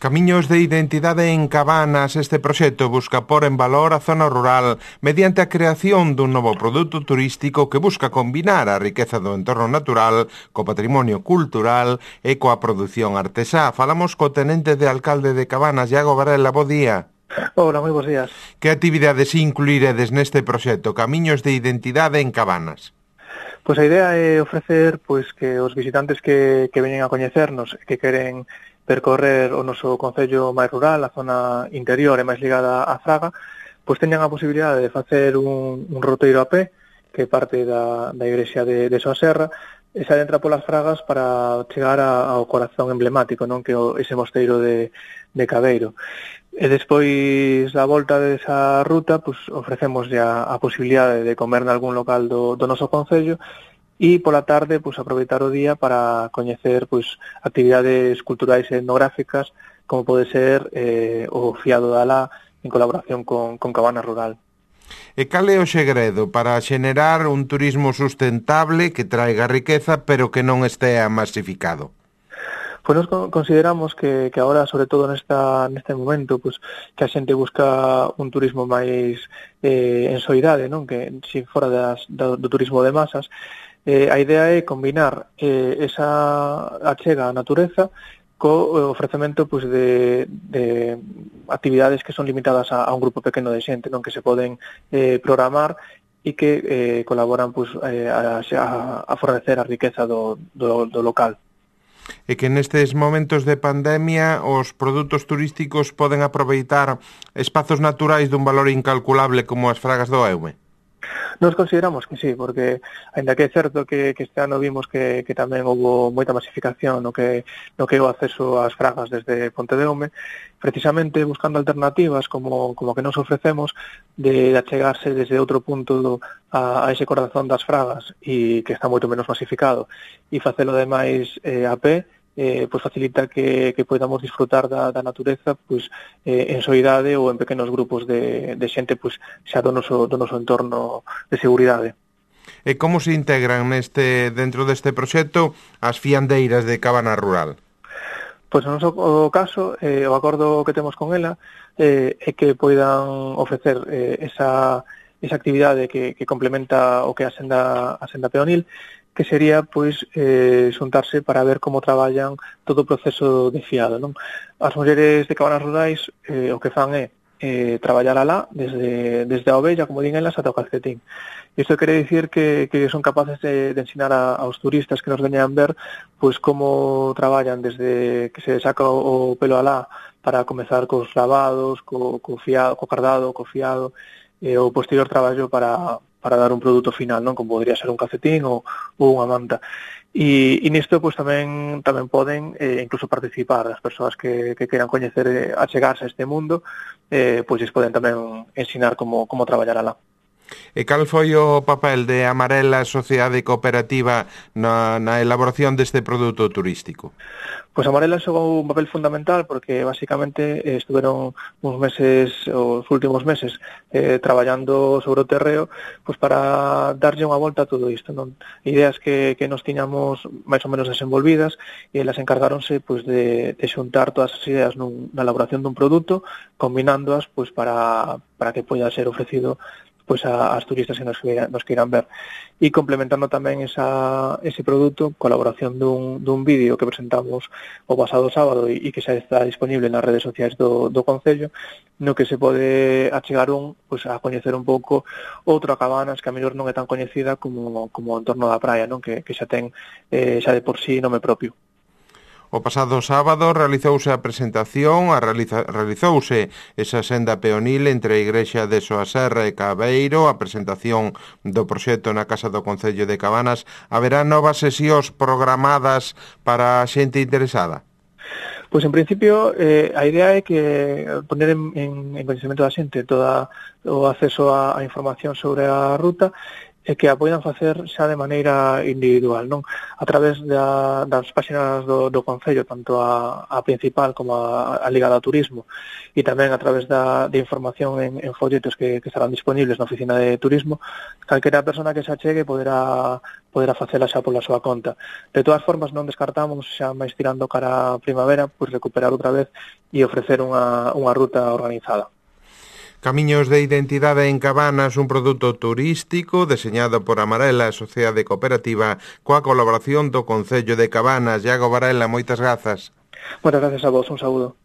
Camiños de identidade en Cabanas. Este proxecto busca pôr en valor a zona rural mediante a creación dun novo produto turístico que busca combinar a riqueza do entorno natural co patrimonio cultural e coa produción artesá. Falamos co tenente de alcalde de Cabanas, Iago Varela. Bo día. Hola, moi bons días. Que actividades incluiredes neste proxecto Camiños de identidade en Cabanas? Pois a idea é ofrecer que os visitantes que veñen a coñecernos, que queren percorrer o noso concello máis rural, a zona interior e máis ligada á Fraga, pois teñan a posibilidade de facer un roteiro a pé que parte da igrexa de Soaserra e se adentra polas Fragas para chegar ao corazón emblemático, non, que ese mosteiro de Cabeiro. E despois da volta desa ruta, pois ofrecemos a posibilidade de comer nalgún local do noso concello e pola tarde pois aproveitar o día para coñecer actividades culturais e etnográficas como pode ser o Fiado de Alá en colaboración con Cabana Rural. E cal é o segredo para xenerar un turismo sustentable que traiga riqueza pero que non estea masificado? Pois nos consideramos que agora, sobre todo neste momento, que a xente busca un turismo máis en soidade, non? Que si fora do turismo de masas, a idea é combinar esa achega á natureza co ofrecemento de actividades que son limitadas a un grupo pequeno de xente, non, que se poden programar e que colaboran a fornecer a riqueza do local. E que nestes momentos de pandemia os produtos turísticos poden aproveitar espazos naturais dun valor incalculable como as Fragas do Eume? Nos consideramos que sí, porque aínda que é certo que este ano vimos que tamén houve moita masificación no que é o acceso ás Fragas desde Ponte de Eume, precisamente buscando alternativas como que nos ofrecemos de achegarse desde outro punto a ese corazón das Fragas e que está moito menos masificado e facelo ademais a pé, facilita que podamos disfrutar da natureza en soidade ou en pequenos grupos de xente xa do noso entorno de seguridade. E como se integran dentro deste proxecto as fiandeiras de Cabana Rural? Pois no noso caso, o acordo que temos con ela é que poidan ofrecer esa actividade que complementa o que é a senda peonil, que sería xuntarse para ver como traballan todo o proceso de fiado, non? As mulleres de Cabanas Rurais o que fan é traballar alá desde a ovella, como din elas, ata o calcetín. Isto quere dicir que son capaces de ensinar aos turistas que nos veñan ver como traballan desde que se saca o pelo alá para comezar cos lavados, co cardado, co fiado, e o posterior traballo para dar un produto final, non, como podría ser un calcetín ou unha manta. E nisto tamén poden incluso participar as persoas que queran coñecer, achegarse a este mundo, lles poden tamén ensinar como traballar alá. E cal foi o papel de Amarela Sociedade Cooperativa na elaboración deste produto turístico? Pois Amarela xogou un papel fundamental porque basicamente estuveron os últimos meses traballando sobre o terreo para darlle unha volta a todo isto, non? Ideas que nos tiñamos máis ou menos desenvolvidas e elas encargáronse de xuntar todas as ideas na elaboración dun produto, combinándoas para que poida ser ofrecido ás turistas que nos queiran ver. E complementando tamén ese produto, colaboración dun vídeo que presentamos o pasado sábado e que xa está disponible nas redes sociais do Concello, no que se pode achegar a coñecer un pouco outra Cabanas que a mellor non é tan coñecida como o entorno da praia, non, que xa ten xa de por sí nome propio. O pasado sábado realizouse a presentación, realizouse esa senda peonil entre a igrexa de Soaserra e Cabeiro, a presentación do proxecto na Casa do Concello de Cabanas. Haberá novas sesións programadas para a xente interesada? Pois en principio a idea é que poner en coñecemento da xente todo o acceso á información sobre a ruta e que a poidan facer xa de maneira individual, non? A través das páxinas do Concello, tanto a principal como a ligada ao turismo, e tamén a través de información en folletos que estarán disponibles na oficina de turismo, calquera persona que se achegue poderá facela xa pola súa conta. De todas formas, non descartamos, xa máis tirando cara a primavera, pois recuperar outra vez e ofrecer unha ruta organizada. Camiños de Identidade en Cabanas, un produto turístico deseñado por Amarela, Sociedade Cooperativa, coa colaboración do Concello de Cabanas. Iago Varela, moitas grazas. Moitas gracias a vos, un saúdo.